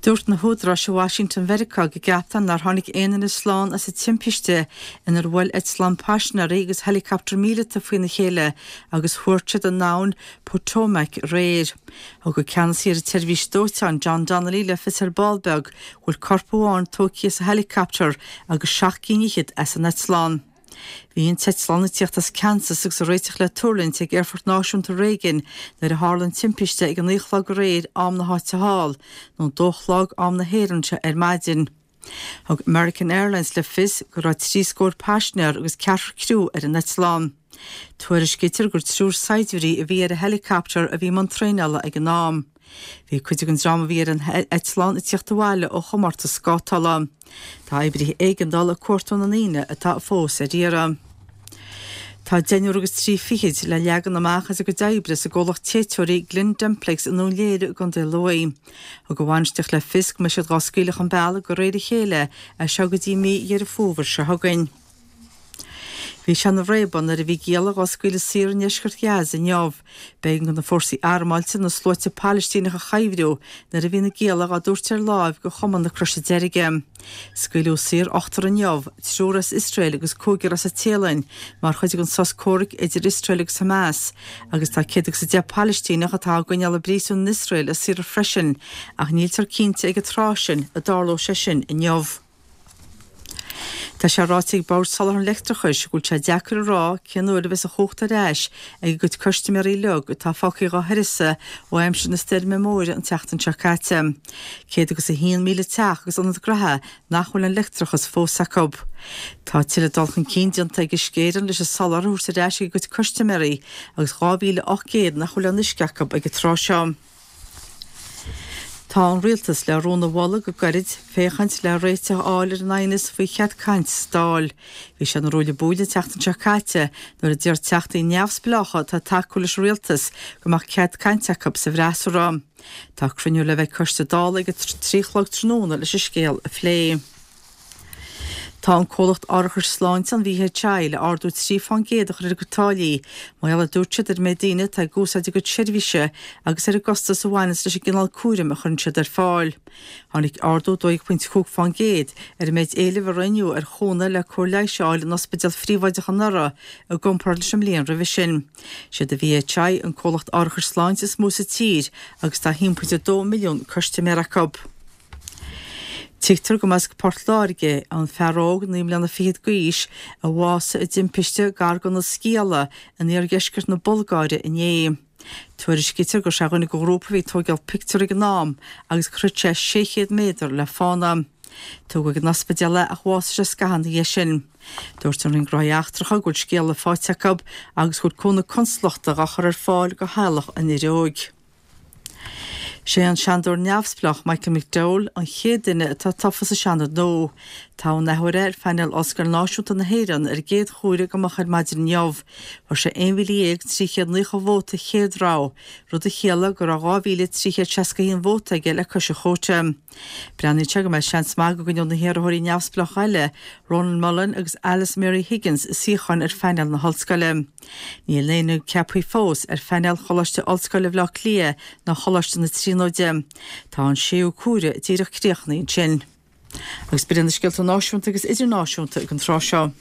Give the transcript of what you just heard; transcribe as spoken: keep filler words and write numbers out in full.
Dúirt na húdaráis i Washington Mheiriceá go gceaptar nár tháinig aon duine slán as an timpiste inar bhuail eitleán paisinéirí agus helicopter míleata faoina chéile agus thuairt siad an abhainn Potomac aréir. Thug an ceannasaí ar an tseirbhís dóiteáin John Donnelly le fios ar ball beag go bhfuil corp amháin tógtha as an helicopter agus seacht gcinn fhichead as an eitleán. Bhí an t-eitleán ag tíocht as Kansas agus ag réiteach le tuirlingt ag Aerfort Náisiúnta Reagan nuair a tharla an timpiste ag a naoi a chlog aréir am na háite thall, nó dó a chlog am na hÉireann ar maidin. Thug American Airlines le fios go raibh trí scór paisinéir agus ceathrar criú ar an eitleán. Tuairiscítear gur triúr saighdiúirí a bhí ar an helicopter a bhí i mbun traenála ag an am. Bhí cuid den dream a bhí ar an eitleán ag tíocht abhaile ó chomórtas scátála. Tá oibrithe éigeandála ag cuartú na ndaoine atá fós ar iarraidh. Tá deichniúr agus trí fichid le leagan amach as a gcuid oibre sa gcomhlacht téiteoirí Glyn Dimplex i nDún Léire i gContae Lú. Thug an bhainistíocht le fios go mbeidh siad á scaoileadh chun bealaigh de réir a chéile as seo go dtí mí Dheireadh Fómhair seo chugainn. Bhí sé ina réabadh nuair a bhí gialla á scaoileadh saor i ndeisceart Ghaza inniu. B'éigean do na fórsaí armáilte na sluaite Palaistíneach a chuibhriú nuair a bhí na gialla á dtabhairt ar láimh go Chumann na Croise Deirge. Scaoileadh saor ochtar inniu, triúr as Iosrael agus cúigear as an Téalainn, mar chuid den sos comhraic idir Iosrael agus Hamas, agus tá céad agus a deich Palaistíneach atá á gcoinneáil i bpríosún in Iosrael á saoradh freisin, ach níltear cinnte ag an tráth sin an dtarlóidh sé sin inniu. Tá sé ráite ag Bord Soláthair an Leictreachais go bhfuil sé deacair a rá cén uair a bheas an chumhacht ar ais ag a gcuid custaiméirí uilig atá fágtha dhá huireasa ó aimsir na stoirme móire an tseachtain seo caite. Céad agus a haon míle teach agus ionad gnaithe nach bhfuil an leictreachas fós acu. Tá tuilleadh dul chun cinn déanta ag Uisce Éireann leis an soláthar a thabhairt ar ais ag a gcuid custaiméirí agus dhá mhíle ocht gcéad nach bhfuil an uisce acu ag an tráth seo. Tá an rialtas le rún a mholadh go gairid féachaint le réiteach a fháil ar an aighneas faoi chead cainte sa Dáil. Bhí sé ina ruaille buaille an tseachtain seo caite nuair a d'iarr teachtaí neamhspleácha atá ag tacú leis an rialtas go mbeadh cead cainte acu sa bhfreasúra. Tá cruinniú le bheith ag coiste Dála ag a trí a chlog tráthnóna leis an scéal a phlé. Tá an comhlacht árachais sláinte an VHI le ardú trí faoin gcéad a chur ar a gcuid táillí, mar gheall a dúirt siad ar méid daoine atá ag úsáid a gcuid seirbhíse agus ar an gcostas a bhaineanns leis an gcineál cúraim a chuireann siad ar fáil. Tháinig ardú dó dhéag pointe cúig faoin gcéad ar an méid éilimh a rinneadh ar chúnamh le cóir leighis a fháil in ospidéal phríobháideach anuraidh i gcomparáid leis an mbliain roimhe sin. Siad an VHI an comhlacht árachais sláinte is mó sa tír agus tá haon pointe dó milliún custaiméir acu. Tuigtear go mba as Port Láirge an fear óg naoi mbliana fichead d'aois a bhásaigh i dtimpiste gar do na Sciala in iardheisceart na Bulgáire inné. Tuairiscítear go raibh sé ar dhuine de ghrúpa a bhí ag tógáil pictiúr ag an am agus shroich sé sé chéad méadar le fána. Tugadh ag an ospidéal é ach bhásaigh sé scaitheamh ina dhiaidh sin. Dúirt an Roinn Gnóthaí Eachtracha go bhfuil scéala faighte acu agus go bhfuil cúnamh consalachta á chur ar fáil do theaghlach an fhir óig. Sé an Seanadóir neamhspleách Michael McDowell an chéad duine atá tofa sa Seanad nua. Toghadh an athuair é ar phainéal Ollscoil Náisiúnta na hÉireann ar an gcéad chuaire go moch ar maidin inniu. Fuair sé aon mhíle dhéag trí chéad naocha vóta chéad rogha, rud a chiallaigh go raibh dhá mhíle trí chéad seasca haon vóta aige le cois an chóta. Breathnaíonn sé go mbeidh seans maith go gcoinneoidh na hiarrthóirí neamhspleácha eile, Ronan Mullen agus Alice Mary Higgins, suíocháin ar phainéal na hollscoile. Níl éinne ceaptha fós ar phainéal Choláiste Ollscoile Bhaile Átha Cliath ná Choláiste na Tríonóide. Tá an séú cuaire díreach críochnaithe ansin. Agus b'in na scéalta náisiúnta agus idirnáisiúnta ag an tráth seo.